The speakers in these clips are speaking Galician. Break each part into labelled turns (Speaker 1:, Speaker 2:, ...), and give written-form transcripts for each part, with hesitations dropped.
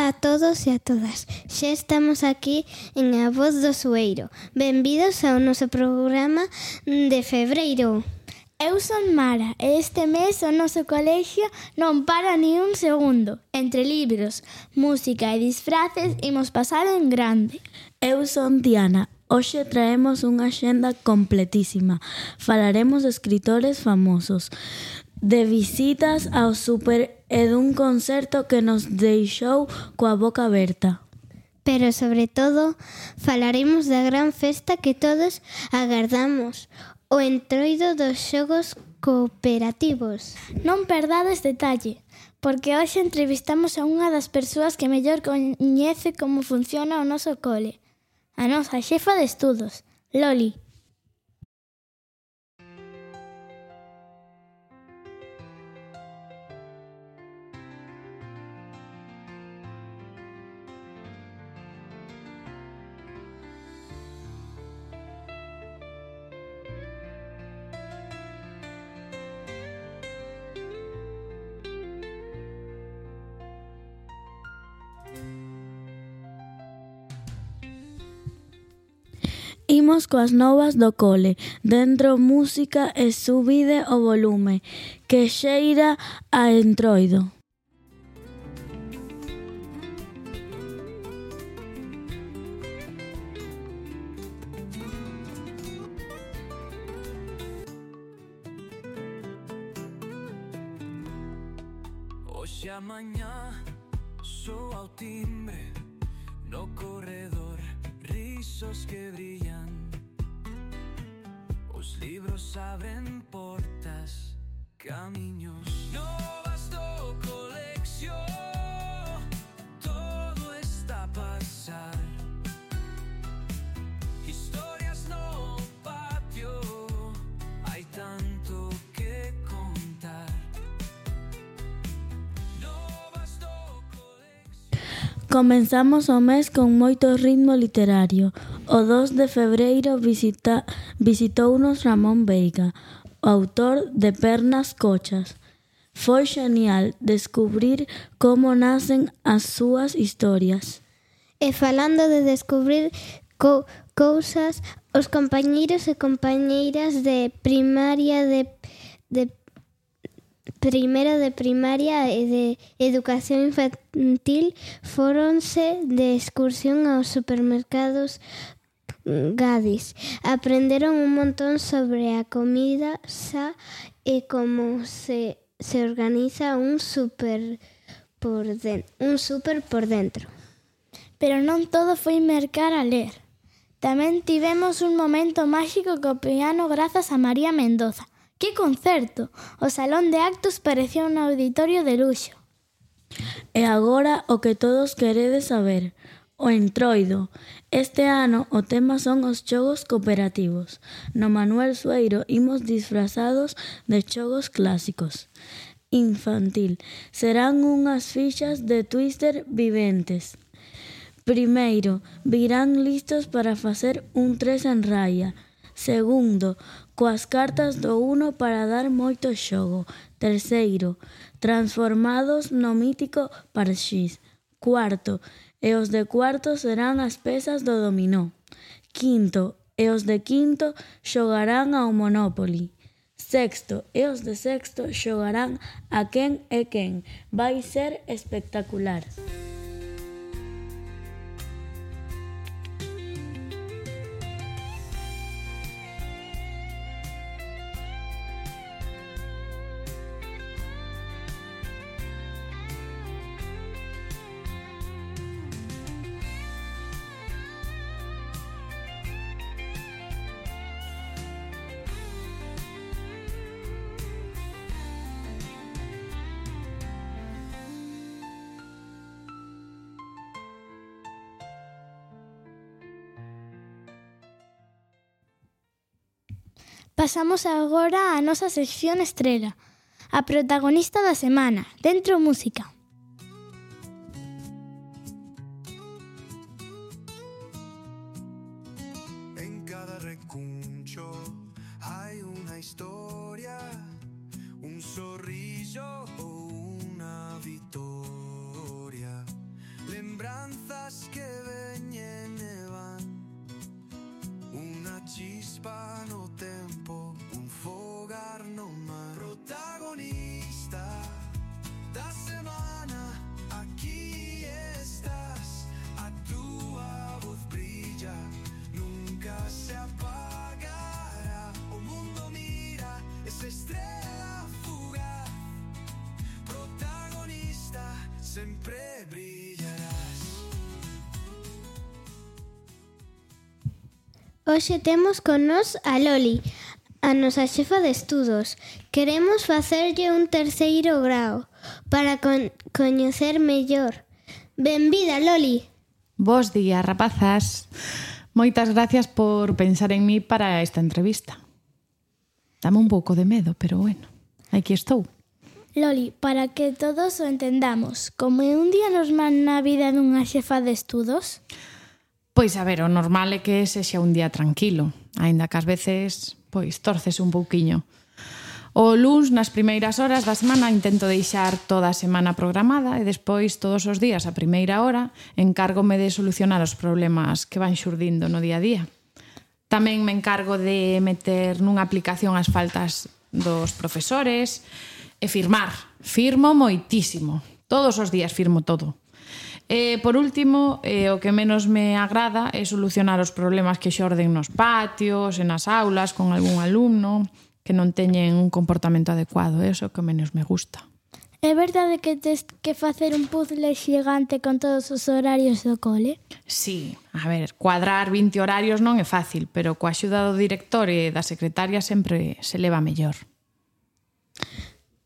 Speaker 1: Ola a todos e a todas. Xa estamos aquí en A Voz do Sueiro. Benvidos ao noso programa de febreiro.
Speaker 2: Eu son Mara e este mes o noso colexio non para ni un segundo. Entre libros, música e disfraces imos pasar en grande.
Speaker 3: Eu son Diana. Hoxe traemos unha axenda completísima. Falaremos de escritores famosos, de visitas ao súper e dun concerto que nos deixou coa boca aberta.
Speaker 1: Pero, sobre todo, falaremos da gran festa que todos agardamos, o entroido dos xogos cooperativos.
Speaker 2: Non perdades detalle, porque hoxe entrevistamos a unha das persoas que mellor coñece como funciona o noso cole, a nosa xefa de estudos, Loli.
Speaker 3: Imos coas novas do cole. Dentro música e subide o volume, que xeira a entroido.
Speaker 4: Hoxe a mañá soa o timbre no corredor, risos que brillan. Os libros abren portas, camiños novas do colección. Todo está a pasar, historias no patio, hai tanto que contar. Novas do colección.
Speaker 3: Comenzamos o mes con moito ritmo literario. O 2 de febreiro visitounos Ramón Veiga, o autor de Pernas Cochas. Foi xenial descubrir como nacen as súas historias.
Speaker 1: E falando de descubrir cousas, os compañeiros e compañeiras de primaria de primeiro de primaria e de educación infantil fóronse de excursión aos supermercados Gadis. Aprenderon un montón sobre a comida xa e como se organiza un súper por dentro.
Speaker 2: Pero non todo foi mercar a ler. Tamén tivemos un momento máxico co piano grazas a María Mendoza. ¡Que concerto! O salón de actos parecía un auditorio de luxo.
Speaker 3: E agora o que todos queredes saber, o entroido. Este ano o tema son os xogos cooperativos. No Manuel Sueiro imos disfrazados de xogos clásicos. Infantil. Serán unhas fichas de Twister viventes. Primeiro, virán listos para facer un 3 en raya. Segundo, coas cartas do Uno para dar moito xogo. Terceiro, transformados no mítico Parxís. Cuarto, e os de cuarto serán as pezas do dominó. Quinto, e os de quinto xogarán ao Monopoly. Sexto, e os de sexto xogarán a quen é quen. Vai ser espectacular.
Speaker 2: Pasamos agora á nosa sección estrela, a protagonista da semana, Dentro Música.
Speaker 4: En cada recuncho hay una historia, un sorriso o una victoria. Le Estrellas que veñen e van, unha chispa no tempo, un fogar no mar. Protagonista da semana, aquí estás, a túa voz brilla, nunca se apagará. O mundo mira esa estrela fugaz, protagonista, sempre brillarás.
Speaker 1: Hoxe temos con nós a Loli, a nosa xefa de estudos. Queremos facerlle un terceiro grao para coñecer mellor. Benvida, Loli.
Speaker 5: Bos días, rapazas. Moitas gracias por pensar en mí para esta entrevista. Dame un pouco de medo, pero bueno, aquí estou.
Speaker 2: Loli, para que todos o entendamos, como é un día normal na vida dunha xefa de estudos?
Speaker 5: Pois a ver, o normal é que sexa un día tranquilo, aínda que ás veces, pois, torces un pouquiño. O luns, nas primeiras horas da semana, intento deixar toda a semana programada e despois, todos os días, a primeira hora, encárgome de solucionar os problemas que van xurdindo no día a día. Tamén me encargo de meter nunha aplicación as faltas dos profesores e firmar. Firmo moitísimo. Todos os días firmo todo. E, por último, o que menos me agrada é solucionar os problemas que xorden nos patios, e nas aulas, con algún alumno que non teñen un comportamento adecuado. É o que menos me gusta.
Speaker 2: É verdade que tes que facer un puzzle xigante con todos os horarios do cole?
Speaker 5: Sí, a ver, cuadrar 20 horarios non é fácil, pero coa axuda do director e da secretaria sempre se leva mellor.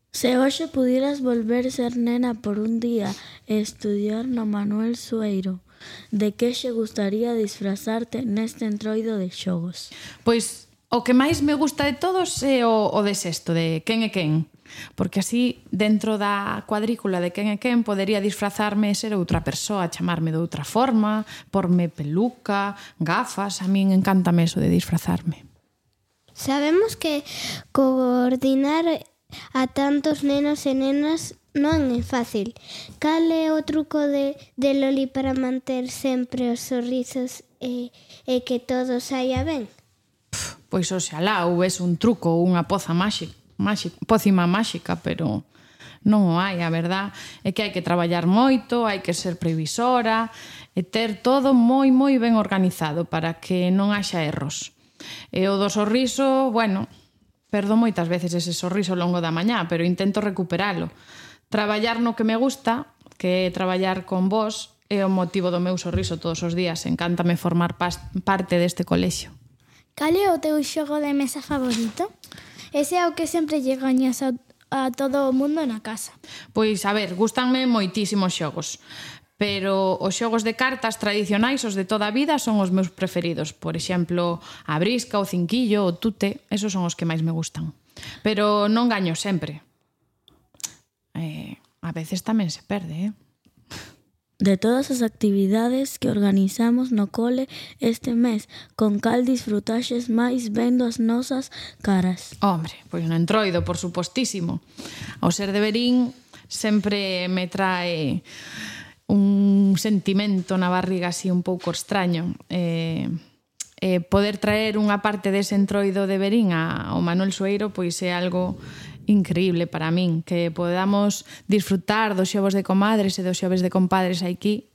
Speaker 3: Se hoxe pudieras volver ser nena por un día e estudiar no Manuel Sueiro, de que xe gustaría disfrazarte neste entroido de xogos?
Speaker 5: Pois o que máis me gusta de todos é o de sexto, de quen é quen. Porque así, dentro da cuadrícula de quen é quen, podería disfrazarme e ser outra persoa, chamarme de outra forma, porme peluca, gafas. A min encántame eso de disfrazarme.
Speaker 1: Sabemos que coordinar a tantos nenos e nenas non é fácil. Cal é o truco de Loli para manter sempre os sorrisos e que todo saia ben?
Speaker 5: Pois oxalá houvese un truco ou unha pócima máxica, pero non o hai, a verdad é que hai que traballar moito, hai que ser previsora e ter todo moi ben organizado para que non haxa erros. E o do sorriso, bueno, perdo moitas veces ese sorriso ao longo da mañá, pero intento recuperalo. Traballar no que me gusta, que é traballar con vos, é o motivo do meu sorriso todos os días. Encántame formar parte deste colexio.
Speaker 2: Cal é o teu xogo de mesa favorito? Ese é o que sempre lle gañas a todo o mundo na casa.
Speaker 5: Pois, a ver, gústanme moitísimos xogos, pero os xogos de cartas tradicionais, os de toda a vida, son os meus preferidos. Por exemplo, a brisca, o cinquillo, o tute, esos son os que máis me gustan. Pero non gaño sempre. A veces tamén se perde,
Speaker 3: De todas as actividades que organizamos no cole este mes, con cal disfrutaxes máis vendo as nosas caras?
Speaker 5: Hombre, pois no entroido, por supostísimo. Ao ser de Verín sempre me trae un sentimento na barriga así un pouco extraño. Poder traer unha parte dese entroido de Verín ao Manuel Sueiro pois é algo increíble para min, que podamos disfrutar dos xovos de comadres e dos xoves de compadres aquí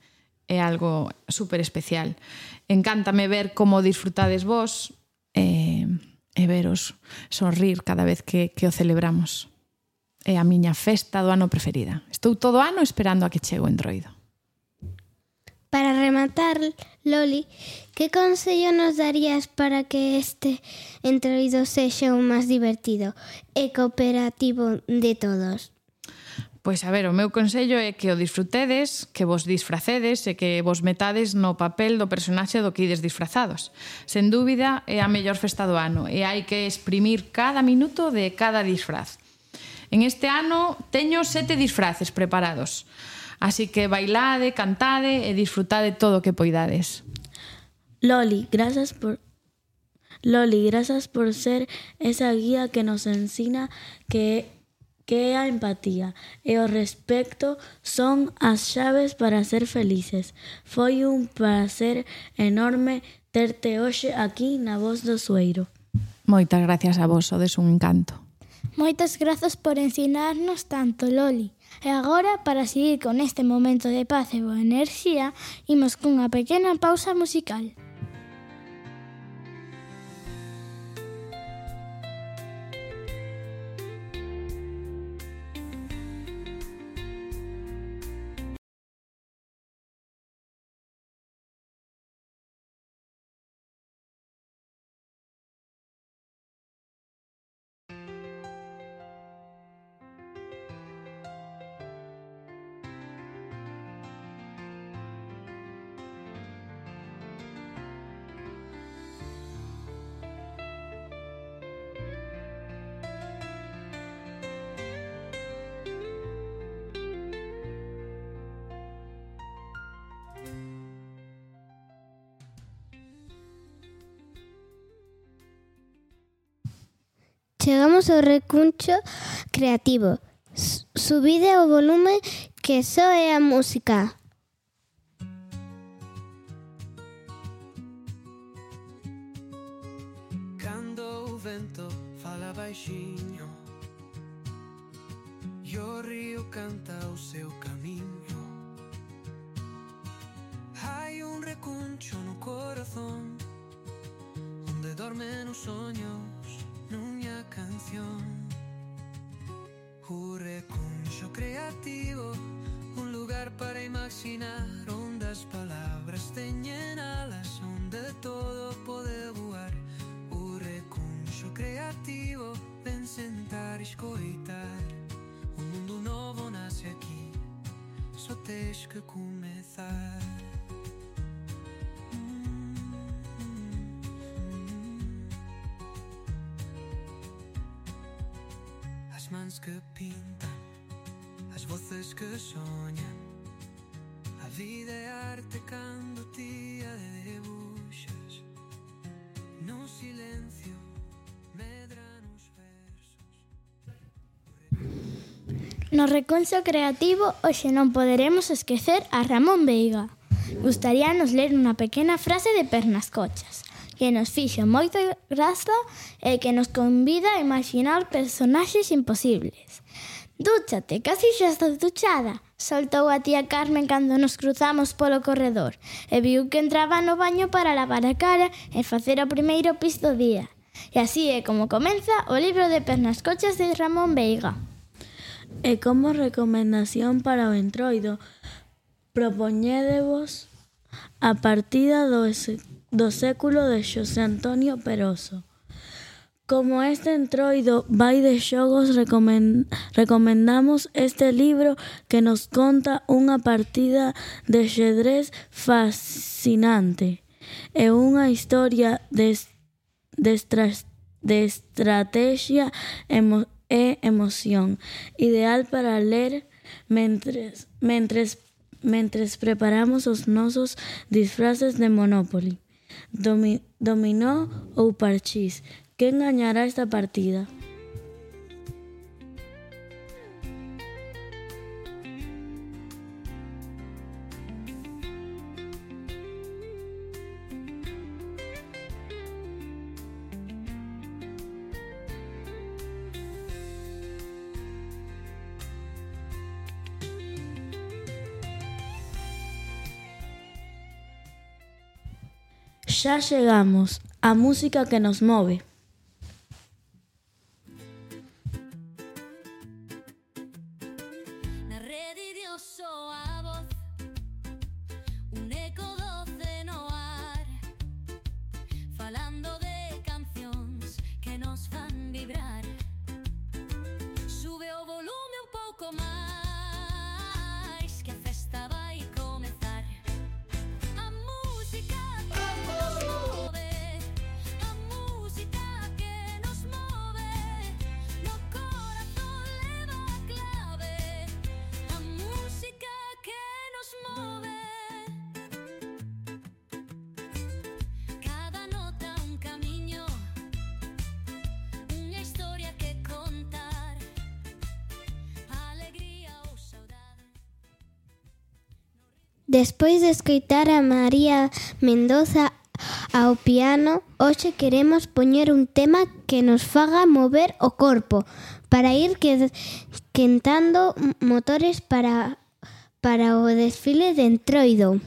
Speaker 5: é algo super especial. Encántame ver como disfrutades vos e veros sorrir cada vez que o celebramos. É a miña festa do ano preferida. Estou todo ano esperando a que chegue o entroido.
Speaker 1: Para rematar, Loli, que consello nos darías para que este entroido sexa o máis divertido e cooperativo de todos?
Speaker 5: Pois a ver, o meu consello é que o disfrutedes, que vos disfracedes e que vos metades no papel do personaxe do que ides disfrazados. Sen dúbida, é a mellor festa do ano e hai que exprimir cada minuto de cada disfraz. En este ano teño 7 disfraces preparados. Así que bailade, cantade e disfrutade todo o que poidades.
Speaker 3: Loli, grazas por ser esa guía que nos ensina que que é a empatía e o respecto son as chaves para ser felices. Foi un placer enorme terte hoxe aquí na Voz do Sueiro.
Speaker 5: Moitas gracias a vos, sodes un encanto.
Speaker 2: Moitas grazas por ensinarnos tanto, Loli. E agora, para seguir con este momento de paz e boa enerxía, imos cunha pequena pausa musical.
Speaker 1: Chegamos ao recuncho creativo. Subide o volume que só é a música.
Speaker 4: Cando o vento fala baixiño e o río canta o seu camiño, hai un recuncho no corazón onde dormen os soños nunha canción. O recuncho creativo, un lugar para imaginar onde as palabras teñen alas, onde todo pode voar. O recuncho creativo, ven sentar e escoitar. Un mundo novo nace aquí, só tens que comezar. As mans que pintan, as voces que soñan. A vida é arte cando ti a debuxas. No silencio medran os versos.
Speaker 2: No recuncho creativo, hoxe non poderemos esquecer a Ramón Veiga. Gustaríanos ler unha pequena frase de Pernascochas que nos fixo moita graza e que nos convida a imaginar personaxes imposibles. Dúchate, casi xa estás duchada, soltou a tía Carmen cando nos cruzamos polo corredor e viu que entraba no baño para lavar a cara e facer o primeiro pis do día. E así é como comeza o libro de Pernascochas de Ramón Veiga.
Speaker 3: E como recomendación para o entroido, propoñédevos a partida do século de Xosé Antonio Peroso. Como este entroido vai de xogos, recomendamos este libro que nos conta unha partida de xadrez fascinante e unha historia de estrategia e emoción, ideal para ler mentres preparamos os nosos disfraces de Monopoly, dominó ou parchís. Quen gañará esta partida? Xa chegamos, a música que nos move.
Speaker 6: Na rede de oso a voz, un eco doce no ar, falando de cancións que nos fan vibrar. Sube o volume un pouco máis, que a festa vai comezar. A música que nos move, a música
Speaker 1: Despois de escoitar a María Mendoza ao piano, hoxe queremos poñer un tema que nos faga mover o corpo para ir quentando motores para o desfile de Entroido.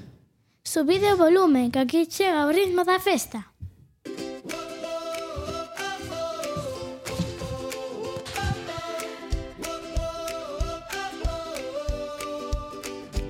Speaker 2: Subide o volume, que aquí chega o ritmo da festa.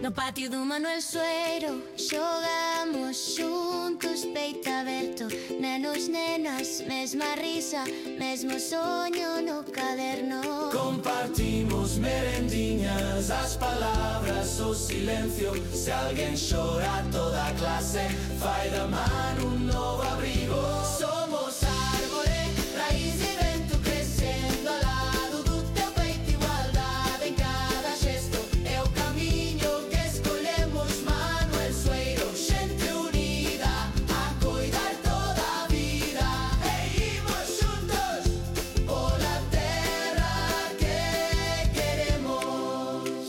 Speaker 6: No patio do Manuel Sueiro xogamos xuntos, peito aberto, nenos, nenas, mesma risa, mesmo soño no caderno.
Speaker 7: Compartimos merendiñas, as palabras, o silencio. Se alguén xora, toda a clase fai da man un novo abrigo. Somos árbore, raíz e vento crecendo ao lado do teu peito, igualdade en cada xesto. É o camiño que escolhemos, Manuel Sueiro, xente unida a coidar toda a vida. E imos xuntos pola terra que queremos.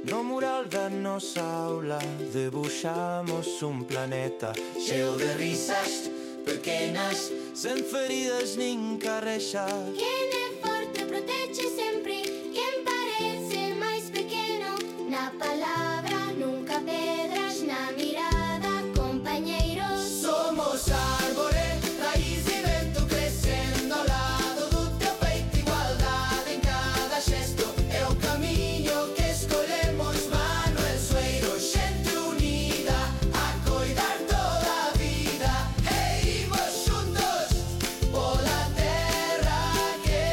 Speaker 7: No mural da nosa aula debuxamos un planeta cheo de risas pequenas, sen feridas nin carrexas.
Speaker 6: Quen é forte protege sempre, quen parece máis pequeno. Na palabra nunca pedras, na mirada compañeiros.
Speaker 7: Somos árbore, raíz e vento crecendo ao lado do teu peito, igualdade en cada xesto. É o camiño que escolhemos, Manuel Sueiro, xente unida a coidar toda a vida. E imos xuntos pola terra que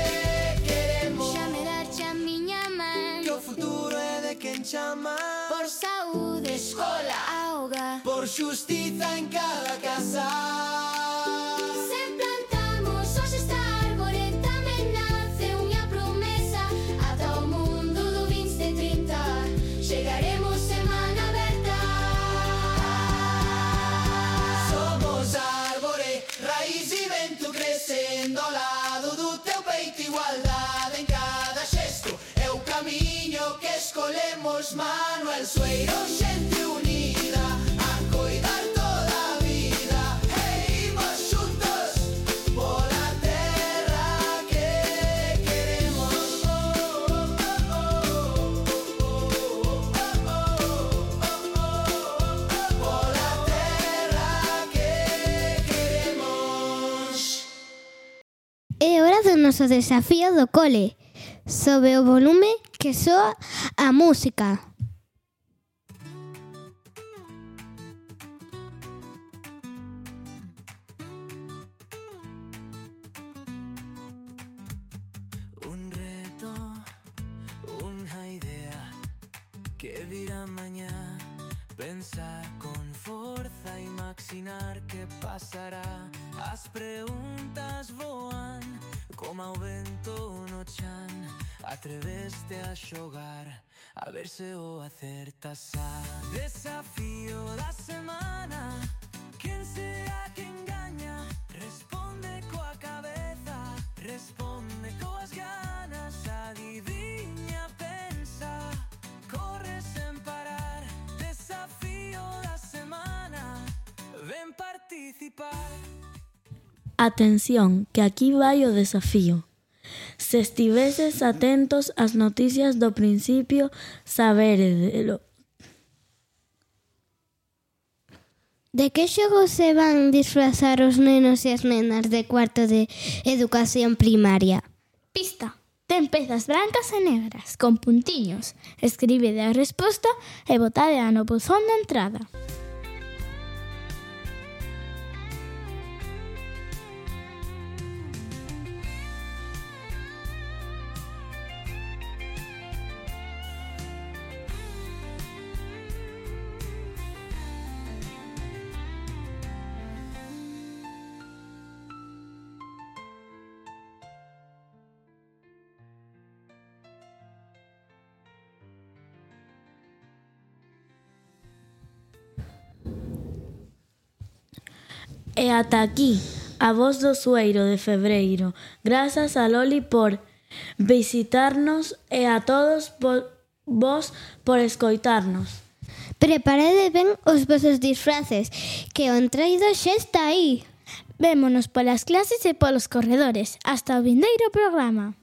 Speaker 7: queremos.
Speaker 6: Xa me darche a miña man,
Speaker 7: Que o futuro é de quen chama
Speaker 6: por saúde,
Speaker 7: escola,
Speaker 6: auga.
Speaker 7: por xustiza en cada casa.
Speaker 6: Se plantamos hoxe esta árbore, tamén nace unha promesa. Ata o mundo do 2030 chegaremos semana aberta.
Speaker 7: Somos árbore, raíz e vento crecendo ao lado do teu peito, igualdade en cada xesto. É o camiño que escolhemos, Manuel Sueiro, xente unida a coidar toda a vida. E imos xuntos pola terra que queremos. Pola terra que queremos.
Speaker 1: É hora do noso desafío do cole. Sobe o volume que soa a música.
Speaker 4: Un reto, una idea que virá mañá. Pensar con forza, imaginar que pasará. As preguntas voan como ao vento no chan. Atreveste a xogar, a ver se o acertas a. Desafío da semana, quen será que engaña? Responde coa cabeza, responde coas ganas. Adiviña, pensa, corre sen parar. Desafío da semana, ven participar.
Speaker 3: Atención, que aquí vai o desafío. Se estiveses atentos ás noticias do principio, saberedelo.
Speaker 1: De que xogos se van disfrazar os nenos e as nenas de cuarto de educación primaria?
Speaker 2: Pista. Ten pezas brancas e negras, con puntiños. Escribide a resposta e botade no buzón de entrada.
Speaker 3: E ata aquí, a voz do Sueiro de Febreiro. Grazas a Loli por visitarnos e a todos vos por escoitarnos.
Speaker 1: Preparade ben os vosos disfraces, que o entroido xa está aí.
Speaker 2: Vémonos polas clases e polos corredores. Hasta o vindeiro programa.